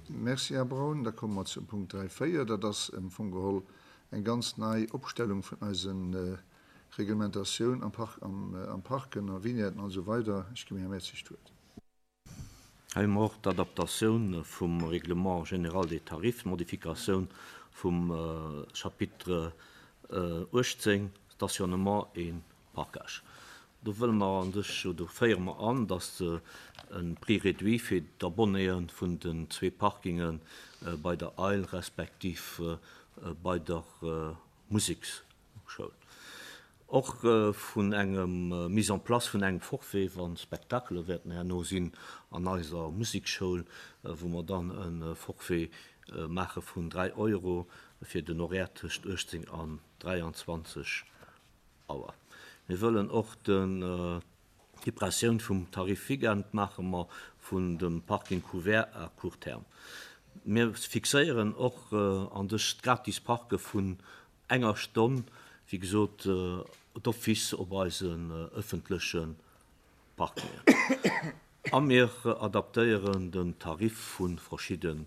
Merci, Här Braun. Da komme mer zum Punkt 3, 4. Dat ass am Fong geholl eng ganz nei Opstellung vun eise Reglementatioun am Park, am Parken, a Vignetten an esou weider. Ech ginn dem Här Mertzig d'Wuert. Hei hu mer och d'Adaptatioun vum Règlement général des tarifs, d'Modifikatioun vum Chapitre 18, Stationnement et parcage. Do wëlle mer an sech, do féiere mer an, dass e Prix réduit fir d'Abonnéë vun den zwee Parkinge bei der Eil respektiv bei der Museksschoul. Och vun engem Mise en place vun engem Forfait, wa Spektakele wäerten herno sinn an eiser Musekschoul, wou mer dann e Forfait maache vun 3 Euro fir den Horaire tëscht 18 an 23 Auer. Mir wëllen och d'Suppressioun vum Tarif weekend maache mer vun dem Parking couvert à court terme. Mir fixéieren och an dës gratis Parke vun enger Stonn, wéi gesot, d'office op eisen ëffentleche Parkingen. A mir adaptéieren den Tarif vu verschiddene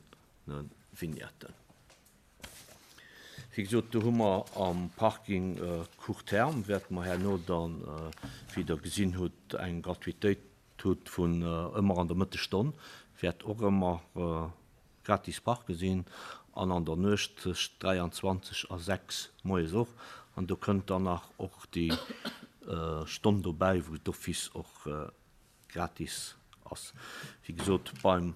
Vignetten. Wéi gesot, do hu mer am Parking court terme, wäerte mer herno dann, wéi Der gesinn hutt, eng Gratuitéit hutt vun ëmmer an der Mëttesstonn, wäert och ëmmer gratis parke sinn an an der Nuecht tëscht 23 a 6 moies och. An do kënnt dann nach och déi Stonn dobäi, wou d'office och gratis ass. Wéi gesot, beim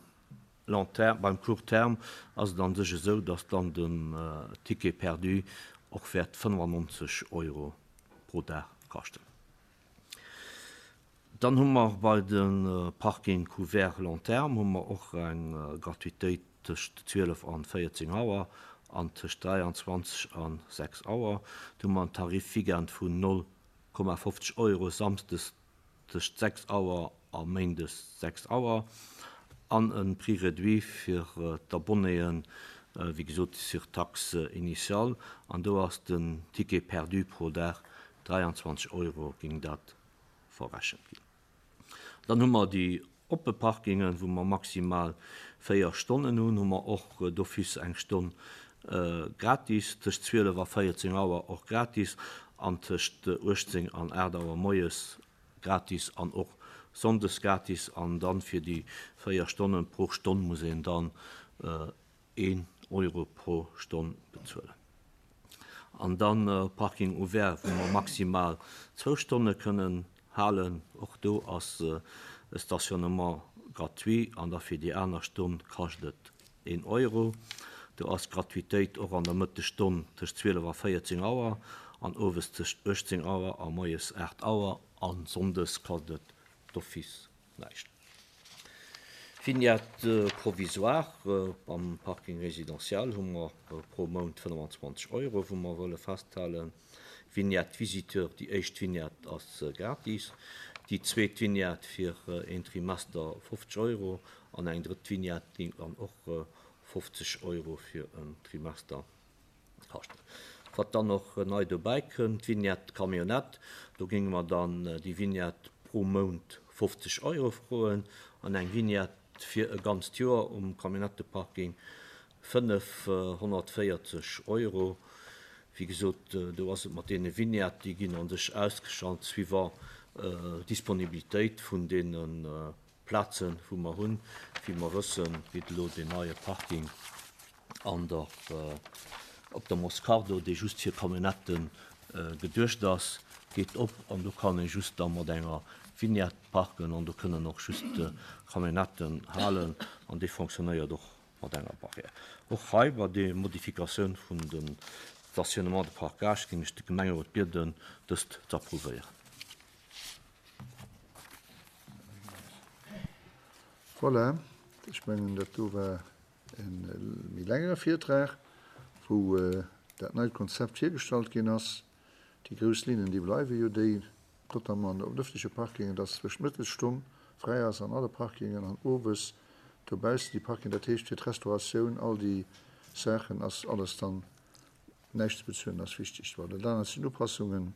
long terme, beim court terme ass et an sech esou, dass dann den Ticket perdu och wäert 95 Euro pro Dag kaschten. Dann hu mer bei de Parking couvert long terme hu mer och eng Gratuitéit tëscht 12 an 14 Auer an tëscht 23 an 6 Auer. Do hu mer en Tarif weekend vun 0,50 Euro samsdes tëscht 6 Auer a méindes 6 Auer an e Prix réduit fir d'Abonnéen, wéi gesot sur taxe initiale, an do ass den Ticket perdu pro Dag 23 Euro géing dat verrechent ginn. Dann hu mer déi oppe Parkingen, wou mer maximal 4 Stonnen hunn, hu mer och d'office eng Stonn gratis, tëscht 12 a 14 Auer och gratis an tëscht 18 an 8 Auer moies gratis an och sonndes gratis. An dann fir déi 4 Stonnen, pro Stonn muss een dann een Euro pro Stonn bezuelen. An dann Parking ouvert, wou mer maximal zwou Stonne kënnen halen. Och do ass e Stationnement gratuit an da fir déi aner Stonn kascht et een Euro. Do ass d'Gratuitéit och an der Mëttesstonn tëscht 12 a 14 Auer an owes tëscht 18 Auer a moies 8 Auer a sonndes kascht et d'office näischt. Vignette provisoire am Parking résidentiel hu mer pro Mount 25 Euro, wou mer wëlle festhalen. Vignette visiteur, déi éischt Vignette ass gratis, déi zweet Vignette fir een Trimester 50 Euro an eng drëtt Vignette géing dann och 50 Euro fir en Trimester kaschten. Wat dann och nei dobäi kënnt, d'Vignette Camionnette, do géinge mer dann déi Vignette pro Mount 50 Euro froen an eng Vignette fir e ganzt Joer um Camionnetteparking 540 Euro. Wéi gesot, do ass et mat deene Vignetten, déi ginn a sech ausgeschalt suivant d'Disponibilitéit vun deene Plazen, wou mer hunn. Wéi mer wëssen, geet elo deen neie Parking an der, op der Moscardo, dee just fir Camionnettë geduecht ass, geet op an do kann ee just da mat enger Vignette parken an do kënnen och just Camionnetten halen an dee fonctionnéiert och mat enger Barrière. Och hei bei der Modifikatioun vun dem Stationnement de parcage géing ech de Gemengerot bieden, dëst z'approuvéieren. Voilà, ech mengen, dat do war e méi längere Virtrag, wou dat neit Konzept virgestallt ginn ass. Déi grouss Linnen, déi bleiwe jo déi. Notamment op den ëffentleche Parkingen, dass zwëscht Mëttesstonn fräi ass an alle Parkingen an owes dobaussen déi Parkingen, dat heescht fir d'Restauratioun, all déi Saachen ass alles dann näischt ze bezuelen, ass wichteg. Bon, dat anert sinn Upassungen.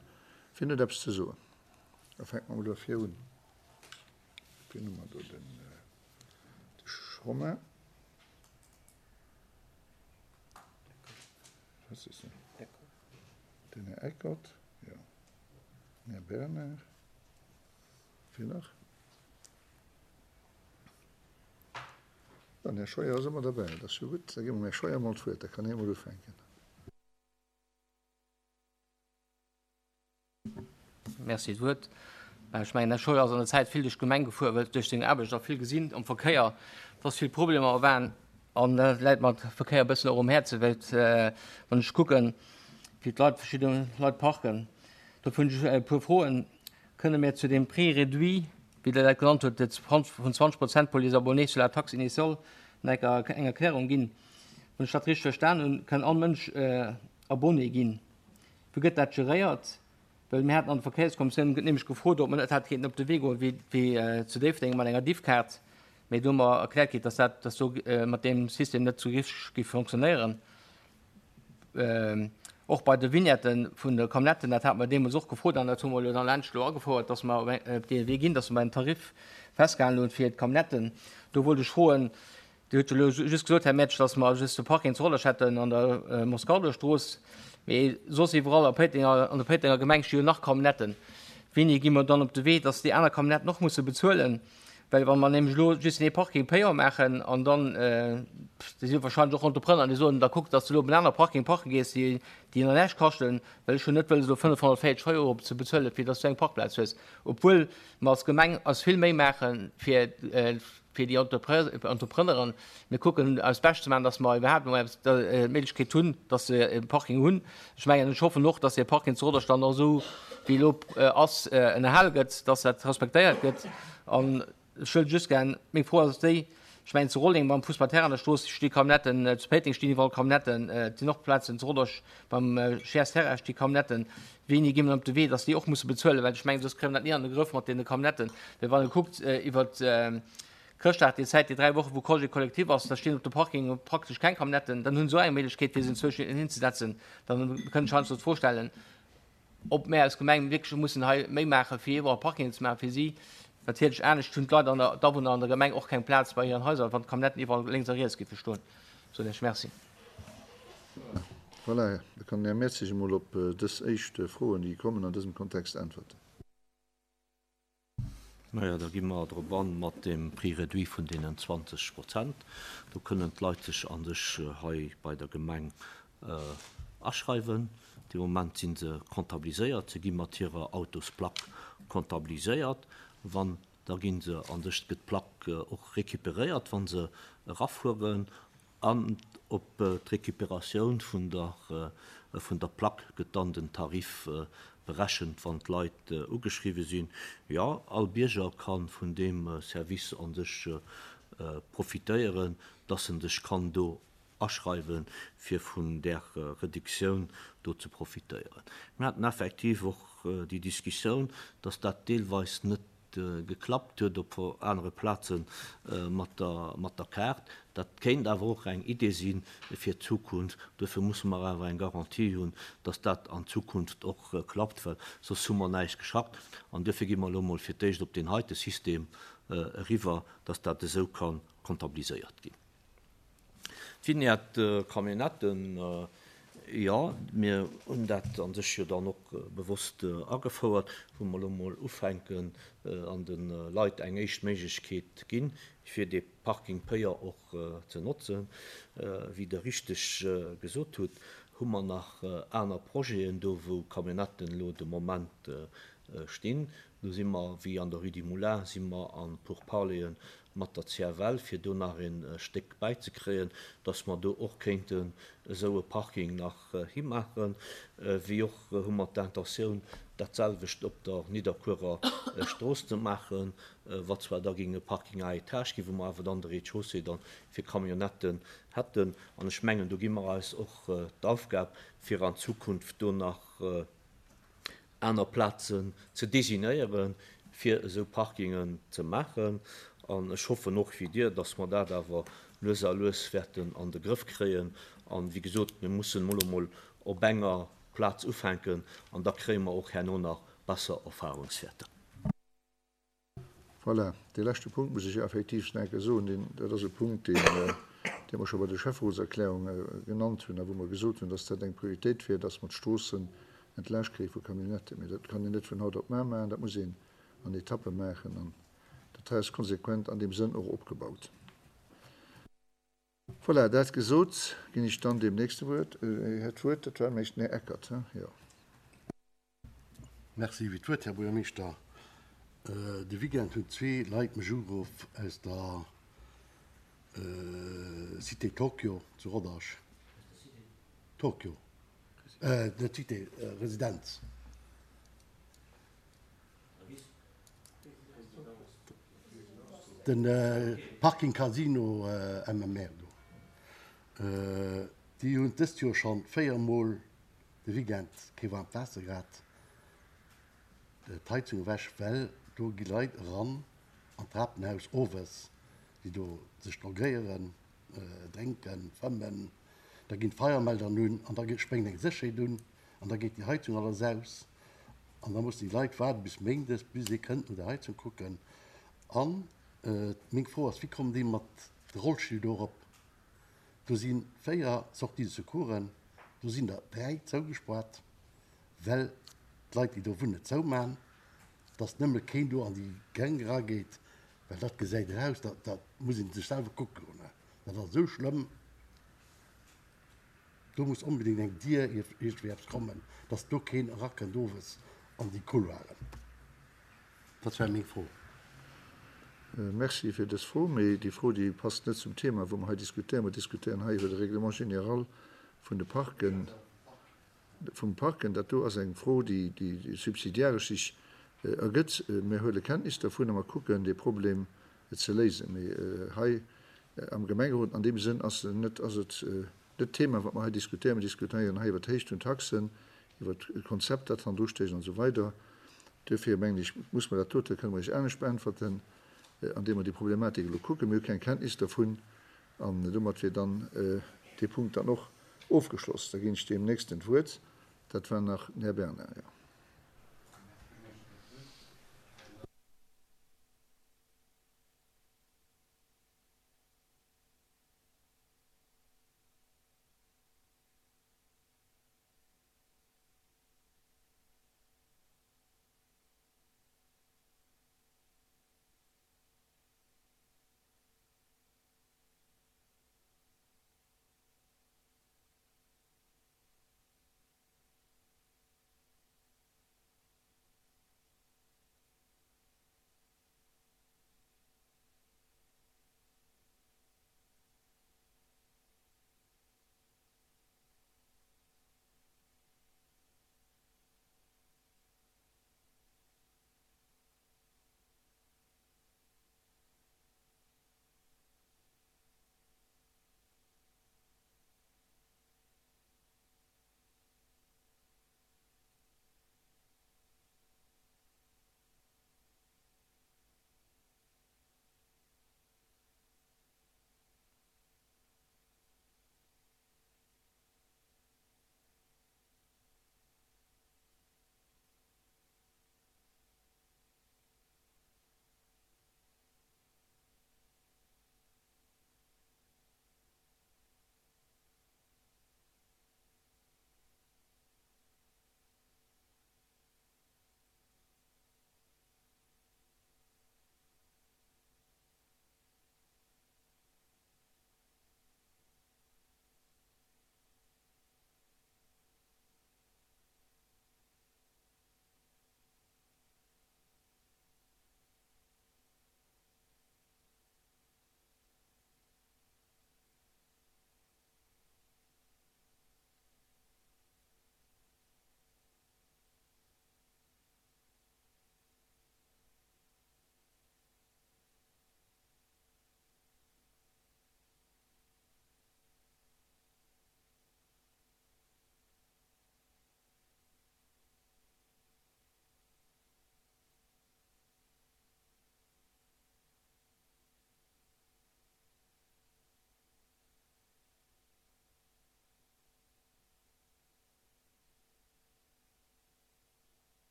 Wien huet eppes ze soen? Da fänke mer mol duerfir un. Wien hu mer do? Den Romain. Den Här Eckert, jo. Den Här Bernard. Wien nach? Den Här Scheuer ass ëmmer derbäi, dat ass jo gutt. Da gi mer dem Här Scheuer emol d'Wuert, da kann hie emol ufänken. Merci d'Wuert. Ech mengen, Här Scheuer ass an der Zäit vill duerch d'Gemeng gefuer, huet duerch seng Aarbecht och vill gesinn am Verkéier, dass vill Problemer waren. An dat läit mer de Verkéier e bëssen och um Häerzen, well wann ech kucken, wéi d'Leit, verschidde Leit parken. Dofir hunn ech e puer Froen. Kënne mir zu deem Prix réduit, wéi Der dat genannt hutt, vun 20 Prozent pour les abonnés sur la taxe initiale nach eng Erklärung ginn? Wann ech dat richteg verstan hunn, kann all Mënsch Abonné ginn. Wéi gëtt dat geréiert? Well mir haten an der Verkéierskommissioun nämlech gefrot, ob mer net hätte kéinten op de Wee goen, wéi wéi zu Déifferdeng mat enger Diffkaart. Mee do hu mer erkläert kritt, dass dat, dass do mat deem System net sou richteg géif fonctionnéieren. Och bei de Vignetten vun de Camionnetten, dat hate mer deemools och gefrot an dat hu mer elo dann laanscht elo agefouert, dass mer op dee Wee ginn, dass mer en Tarif festgehalen hunn fir d'Camionnetten. Do wollt ech froen, Dir hutt jo elo just gesot, Här Mertsch, dass mer just de Parking zu Hollerech hätten an der Moscardo-Strooss, mee soss iwwerall a Péitenger, an der Péitenger Gemeng sti jo nach Camionnetten. Wéini gi mer dann op de Wee, dass déi aner Camionnetten och musse bezuelen? Well wa mer nämlech elo just deen ee Parking payant maachen an dann, déi si jo wahrscheinlech och Entrepreneur, déi soen, da kuck, dass de elo op en anere Parking parke gees, déi déi nach näischt kaschten, well ech hunn net wëlles elo 540 Euro ze bezuelen, fir dass du eng Parkplaz hues, obwuel mer als Gemeng eis vill Méi maache fir fir déi Entrepreneuren. Mir kucken eist Bescht ze maachen, dass mer iwwerhaapt emol eppes d'Méiglechkeet hunn, dass se e Parking hunn. Ech mengen, ech hoffen och, dass dee Parking zu Roderstand och esou wéi elo ass ënnerhale gëtt, dass dat respektéiert gëtt. An ech wëll just gär, meng Fro ass déi, ech mengen zu Rolleng beim Fussballterrain an der Strooss sti Camionnetten, zu Péiteng stinn iwwerall Camionnetten, et sinn och Plazen zu Rodange beim Scheers Terrain sti Camionnetten. Wéini gi mer op de Wee, dass déi och musse bezuelen? Well ech mengen, soss kréie mer dat ni an de Grëff mat deene Camionnetten. Well wann ee kuckt iwwer Chrëschtdag, déi Zäit, déi 3 Woche wou Congé collectif ass, da stinn op de Parkinge praktesch keng Camionnetten. Dann hunn se och eng Méiglechkeet, fir se enzwousch hinzesetzen. Dann kënnt ech heiansdo d'Fro stellen, ob mär als Gemeng wierklech mussen hei méi maachen, fir iwwerall Parkingen ze maachen fir si. Natierlech anescht hunn d'Leit an der, d'Awunner an der Gemeng och keng Plaz bei hiren Haiser, wann d'Camionnetten iwwerall lénks a riets géife stoen. Soen ech Merci. Voilà, da kann den Här Mertzig emol op dës éischt Froen, déi kommen, an dësem Kontext äntwerten. Majo, da gi mer drop an mat deem Prix réduit vun deenen 20 Prozent. Do kënnen d'Leit sech a sech hei bei der Gemeng aschreiwen. De Moment si se comptabiliséiert, se gi mat hirer Autosplack comptabiliséiert. Wann, da gi se a sech, gëtt d'Plack och récupéréiert, wa se erafueren. An op d'Recuperatioun vun der vun der Plack gëtt dann den Tarif berechent, wann d'Leit ugeschriwwe sinn. Jo, all Bierger ka vun deem Service a sech profitéieren, dass en sech kann do aschreiwen, fir vun där Reduktioun do ze profitéieren. Mir haten effektiv och déi Diskussioun, dass dat deelweis net geklappt huet op anere Plaze mat der Kaart. Dat kéint awer och eng Idee si fir d'Zukunft. Duerfir musse mer awer eng Garantie hunn, dass dat an Zukunft och klappt, well soss hu mer näischt geschafft. An duerfir gi mer elo emol fir d'éischt op deen heite System eriwwer, dass dat esou ka comptabiliséiert ginn. D'Vignette Camionnetten, jo, mir hunn dat a sech jo dann och bewosst agefouert, wou mer elo emol ufänken an de Leit eng éischt Méiglechkeet ginn, fir dee Parking payant och ze notzen. Wéi Der richteg gesot hutt, hu mer nach aner Projeten do, wou Camionnetten elo de Moment stinn. Do si mer, wéi an der Rue du Moulin, si mer a Pourparleren mat der CFL, fir do nach e Stéck bäizekréien, dass mer do och kéinten esou e Parking nach himaachen. Wéi och hu mer d'Intentioun, dat selwecht op der Nidderkuerer Strooss ze maachen, wat zwar da géing e Parking à étages ginn, wou mer awer dann de Rez-de-chaussée dann fir Camionnetten hätten. An ech mengen, do gi mer eis och d'Aufgab, fir an Zukunft do nach aner Plazen ze designéieren, fir esou Parkingen ze maachen. An ech hoffen och, wéi Dir, dass mer dat awer lues a lues wäerten an de Grëff kréien. An, wéi gesot, mir mussen emol emol op enger Plaz ufänken an da kréie mer och herno nach besser Erfahrungswäerter. Voilà, dee leschte Punkt muss ech effektiv nach eng Kéier soen, deen, dat ass e Punkt, deen, dee. déi mer scho bei der Schäfferotserklärung genannt hunn a wou mer gesot hunn, dass dat eng Prioritéit wier, dass mer d'Stroossen entlaascht kréie vu Camionnetten. Mee dat kann een net vun haut op mar maachen, dat muss een an Etappe maachen an dat hei ass konsequent an deem Sënn och opgebaut. Voilà, dat gesot, ginn ech dann deem nächste Wuert, Här d'Wuert. Dat war nämlech den Här Eckert, he? Jo. Merci fir d'Wuert, Här Buergermeeschter. De Weekend hunn zwee Leit mech ugeruff aus der Cité Tokyo zu Rodange. Tokyo, net Cité, Residenz. De Parking Casino MMR do. Déi hunn dëst Joer schonn 4 Mol de Weekend kee waarmt Waasser gehat, d'Heizung ewech, well do gi Leit eran an d'Trapenhaus owes, déi do sech drogéieren, drénken, fëmmen. Da ginn d'Feiermeldern un an da spréngt eng Sécherheet un an da geet déi Heizung alles aus. An da mussen déi Leit waarde bis méindes, bis ee kënnt no der Heizung kucken. An meng Fro ass, Wéi kommen déi mat de Rollstill do erop? Do si 4 Sorties de secoursen, do sinn der 3 zougespaart, well d'Leit, déi do wunnen, et zouman, dass nëmme keen do an déi Gäng erageet, well dat gesäit eraus, dat muss ee sech selwer kucke goen. Dat ass esou schlëmm. Do muss onbedéngt eng Dier iergendwéi eppes kommen, dass do keen erakënnt owes an déi Couloiren. Dat war meng Fro. Merci fir dës Fro, mee déi Fro, déi passt net zum Thema, wou mer hei diskutéieren. Mer diskutéieren hei iwwer de Règlement général vun de Parken. Vum Parken. Dat do ass eng Fro, déi subsidiaresch sech ergëtt. Mir huele Kenntnis dervun a mer kucken, dee Problem ze léisen. Mee hei am Gemengerot an deem Sënn ass net, ass et net d'Thema, wat mer hei diskutéieren. Mer diskutéieren hei iwwer d'Héicht vun Taxen, iwwer d'Konzept, dat hannendru stécht an esou weider. Duerfir mengen ech, muss mer dat dote, kënne mer Iech anescht beäntwerten, andeem mer déi Problematik elo kucken. Mir hu keng Kenntnis dervun an domat wier dann dee Punkt dann och ofgeschloss. Da ginn ech deem nächsten d'Wuert. Dat war nach den Här Bernard, jo.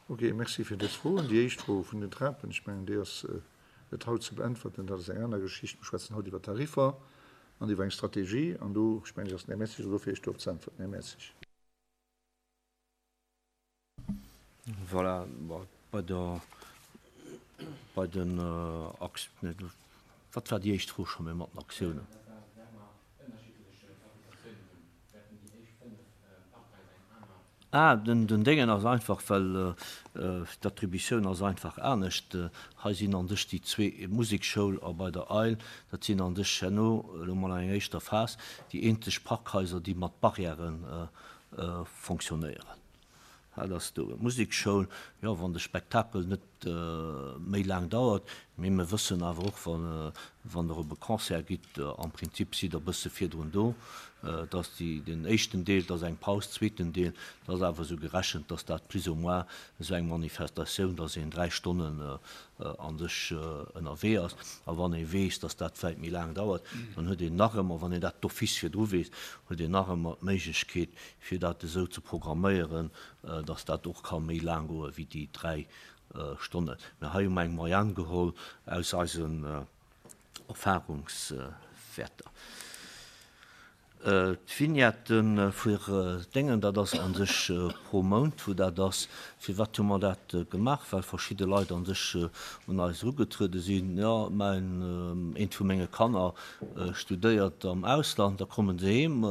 Ok, Merci fir dës Froen. Déi éischt Fro vun den Trapen, ech mengen, déi ass net haut ze beäntwerten. Dat ass eng aner Geschicht. Mir schwätzen haut iwwer Tariffer an iwwer eng Strategie. An do, ech mengen, ass den Här Mertzig elo do, fir Iech dorop ze äntwerten. Här Mertzig. Voilà, bei der, bei den Akt, wat war déi éischt Fro scho méi mat den Aktiounen? Ah, den Déngen ass einfach, well d'Attributioun ass einfach anescht. Hei sinn an sech déi zwee, Musekschoul a bei der Eil, dat sinn an sech herno, elo mol an enger éischter Phas, déi eenzeg Parkhaiser, déi mat Barrièren fonctionnéieren. Dat ass do d'Musekschoul. Jo, wann de Spektakel net méi laang dauert, mee mir wëssen awer och, wann Der op e Concert gitt, am Prinzip sidd Der e bësse virdrun do, dass déi, den éischten Deel, dat ass eng Paus, zweeten Deel, dat ass awer esou gerechent, dass dat plus ou moins esou eng Manifestatioun, dass een 3 Stonnen a sech ënnerwee ass. A wann ee weess, dass dat vläicht méi laang dauert, dann huet een nach ëmmer, wann een dat d'office virdru weess, huet een nach ëmmer d'Méiglechkeet, fir dat esou ze programméieren, dass dat och ka méi laang goe wéi déi 3 Stonnen. Mä hei hu mer eng Moyenne geholl aus eisen Erfahrungswäerter. D'Vignette fir Déngen, dat ass a sech pro Mount, wou dat ass. Firwat hu mer dat gemaach? Well verschidde Leit a sech un eis erugetruede sinn, Jo, mäin, eent vu menge Kanner studéiert am Ausland, da komme se heem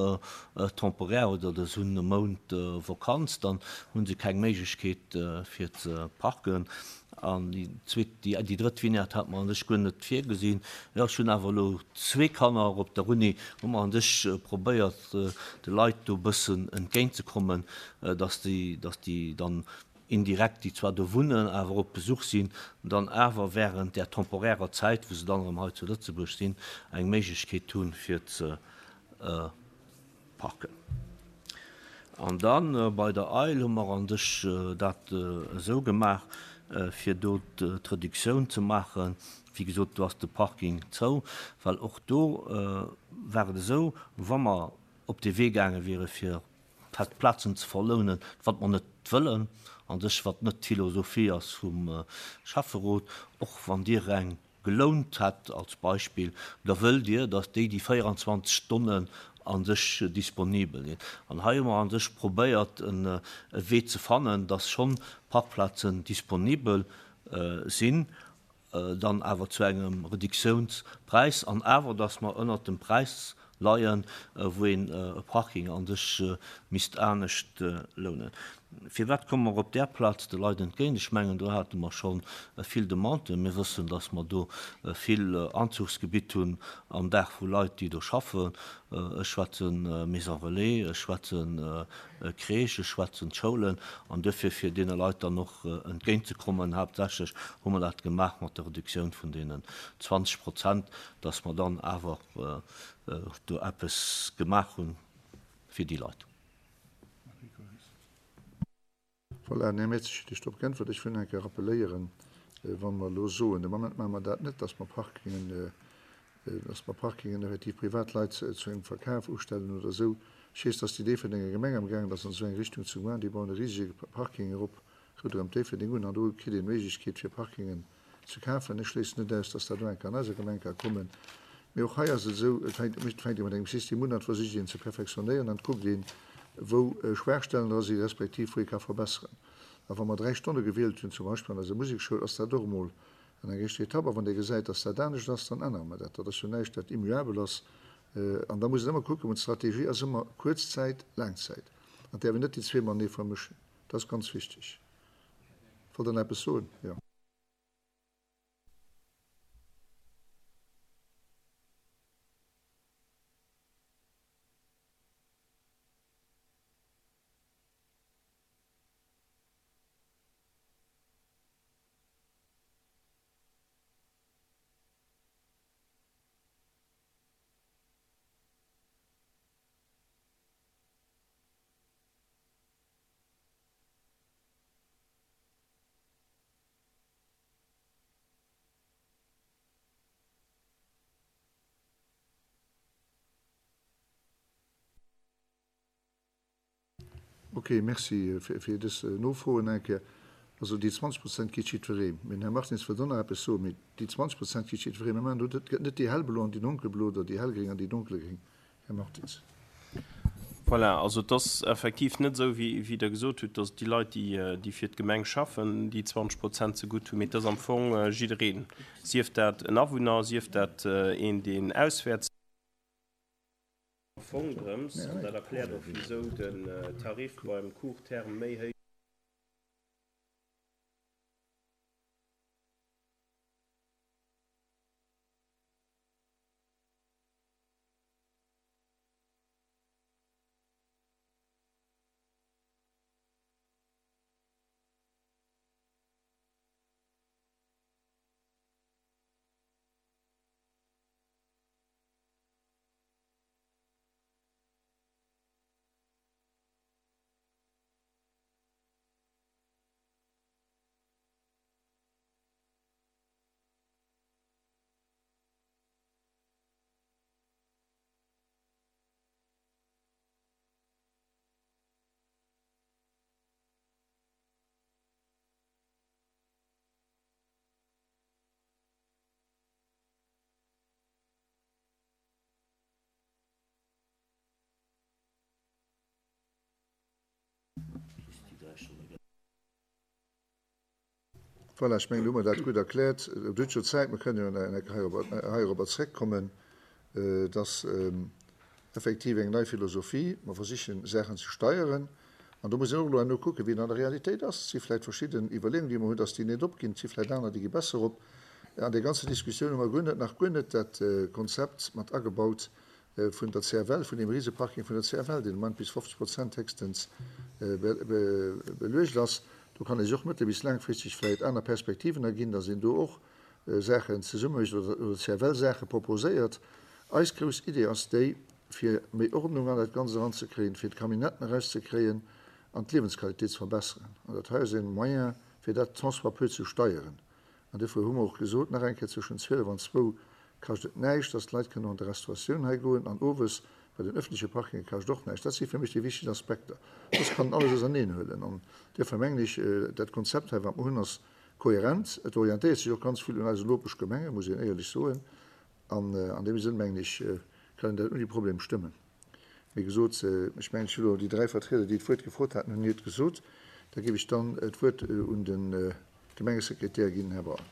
temporaire oder se hunn e Mount Vakanz, dann hu se keng Méiglechkeet fir ze parken. An déi zweet, déi drëtt Vignette hat mer an sech guer net virgesinn. Jo, ech hunn awer elo zwee Kanner op der Uni, hu mer an sech probéiert, de Leit do e bëssen entgéintzekommen, dass déi, dass déi dann indirekt, déi zwar do wunnen, awer op Besuch sinn, dann awer während där temporärer Zäit, wou se dann erëm hei zu Lëtzebuerg sinn, eng Méiglechkeet hunn, fir ze Parken. An da bei der Eil hu mer an sech dat esou gemaach, fir do d'Reduktioun ze maachen. Wéi gesot, do ass de Parking zou, well och do war et esou, wa mer op dee Wee gaange wiere fir fest Plazen ze verlounen, wat mer net wëllen, an sech wat net d'Philosophie ass vum Schäfferot, och wann Dir eng gelount hätt, als Beispill, da wëllt Dir, datt déi déi 24 Stonnen a sech disponibel sinn. An hei hu mer a sech probéiert, e Wee ze fannen, datt schonn Parkplazen disponibel sinn, dann awer zu engem Reduktionspräis, an awer datt mer ënnert dem Präis leien, wou een e Parking a sech misst anescht lounen. Firwat komme mer op där Plaz de Leit entgéint? Ech mengen, do hate mer scho vill Demanden. Mir wëssen, datt mer do vill Anzuchsgebitt hunn am Dag vu Leit, déi do schaffen. Ech schwätze Maison relais, ech schwätze Crèche, ech schwätzen d'Schoulen. An duerfir, fir deene Leit dann och entgéintzekommen, haaptsächlech hu mer dat gemaach mat der Reduktioun vun deenen 20 Prozent, datt mer dann awer do eppes gemaach hunn fir déi Leit. Voilà, den Här Mertzig huet Iech drop geäntwert. Ech wëll nach eng Kéier rappeléieren, wa mer elo soen, de Moment maache mer dat net, dass mer Parkingen, dass mer Parkingen effektiv privat Leit zu engem Verkaf ustellen oder esou. Ech weess, dass déi Déifferdenger Gemeng amgaangen ass an esou eng Richtung ze goen. Déi bauen e risege Parking erop ronderëm Déifferdeng un an do kritt een d'Méiglechkeet fir Parkingen ze kafen. Ech schléissen net aus, dass dat och eng Kéier an eiser Gemeng ka kommen. Mee och hei ass et esou, et fänkt, et fänkt ee mat engem System un an et versicht een ze perfektionéieren an et kuckt een, wou Schwaachstellen dra si respektiv wou ee ka verbesseren. A wa mer 3 Stonne gewielt hunn, zum Beispill an eiser Musekschoul, ass dat och emol an eng éischter Etapp. A wann Dir gesäit, dass dat anescht ass, dann ännere mer dat. Dat ass jo näischt, dat immuabel ass. An da muss een ëmmer kucken, d'Strategie ass ëmmer Kuerzzäit, Laangzäit. An et däerf een net déi zwee matenee vermëschen. Dat ass ganz wichteg. Wollt Der nach eppes soen? Jo. Ok, merci fir dës Nofroen eng Kéier. Also déi 20 Prozent kritt jiddweree. Mee den Här Martins wëllt och nach eppes soen. Mee déi 20 Prozent kritt jiddweree. Mir maachen do, et gëtt net déi hellblo an déi donkelblo oder déi hellgréng an déi donkelgréng, Här Martins. Voilà, also et ass effektiv net esou, wéi Der gesot hutt, datt déi Leit, déi fir d'Gemeng schaffen, déi 20 Prozent zegutt hunn, mee et ass am Fong jiddereen, sief dat en Awunner, sief dat een, deen auswäerts. Am Fong drëms, an dat erkläert och, wisou den Tarif beim Court terme méi héich. Voilà, ech mengen, do hu mer dat gutt erkläert. Et huet jo Zäit, mer kënnen jo nach eng Kéier heirobber zréckkommen. Et ass effektiv eng nei Philosophie. Mer versichen, Saachen ze steieren. An do muss een och elo herno kucken, wéi et an der Realitéit ass. Et si vläicht verschidden Iwwerleeungen, déi mer hunn, dass déi net opginn. Et si vläicht aner, déi gi besser op. An där ganzer Diskussioun hu mer guer net, nach guer net dat Konzept mat agebaut vun der CFL, vun deem Riseparking vun der CFL, deen am Moment bis 50 Prozent héchstens beluecht ass. Do kann ee sech och mëttel bis laangfristeg vläicht aner Perspektiven erginn, dass een do och Saachen zesumme mécht oder der CFL Saache proposéiert. Eis grouss Idee ass déi, fir méi Ordnung an dat Ganzt eranzekréien, fir d'Camionnetten erauszekréien an d'Liewensqualitéit ze verbesseren. An dat hei ass e Moyen, fir dat tant soit peu ze steieren. An duerfir hu mer och gesot, nach eng Kéier, zwëschen 12 an zwou kascht et näischt, dass d'Leit kënnen an d'Restauratioun hei goen an owes bei den öffentleche Parkinge kascht och näischt. Dat si fir mech déi wichteg Aspekter. Soss kann een alles auserneenhuelen. An duerfir mengen ech, dat Konzept hei, wat mer hunn, ass kohärent. Et orientéiert sech och ganz vill un eisen Nopeschgemengen, muss een éierlech soen. An an deem Sënn, mengen ech, kann een dat ouni Problem stëmmen. Wéi gesot, ech mengen, ech hu elo déi dräi Vertrieder, déi d'Wuert gefrot haten, hunn hiert gesot. Da géif ech dann d'Wuert un de Gemengesekretär ginn, Här Braun.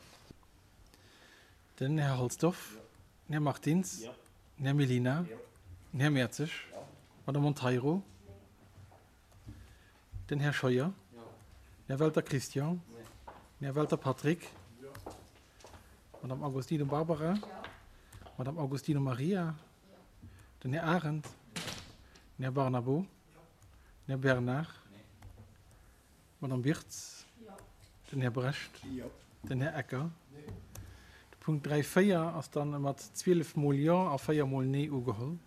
Den Här Halsdorf, den Här Martins, den Här Mellina, den Här Mertzig, d'Madame Monteiro, den Här Scheuer, den Här Welter Christian, den Här Welter Patrick, d'Madame Agostino Barbara, d'Madame Agostino Maria, Den Här Arendt, den Här Barnabo, den Här Bernard, d'Madame Wirtz, den Här Brecht, den Här Ecker. De Punkt 3, 4 ass dann mat 12 mol Jo a 4 mol Nee ugeholl.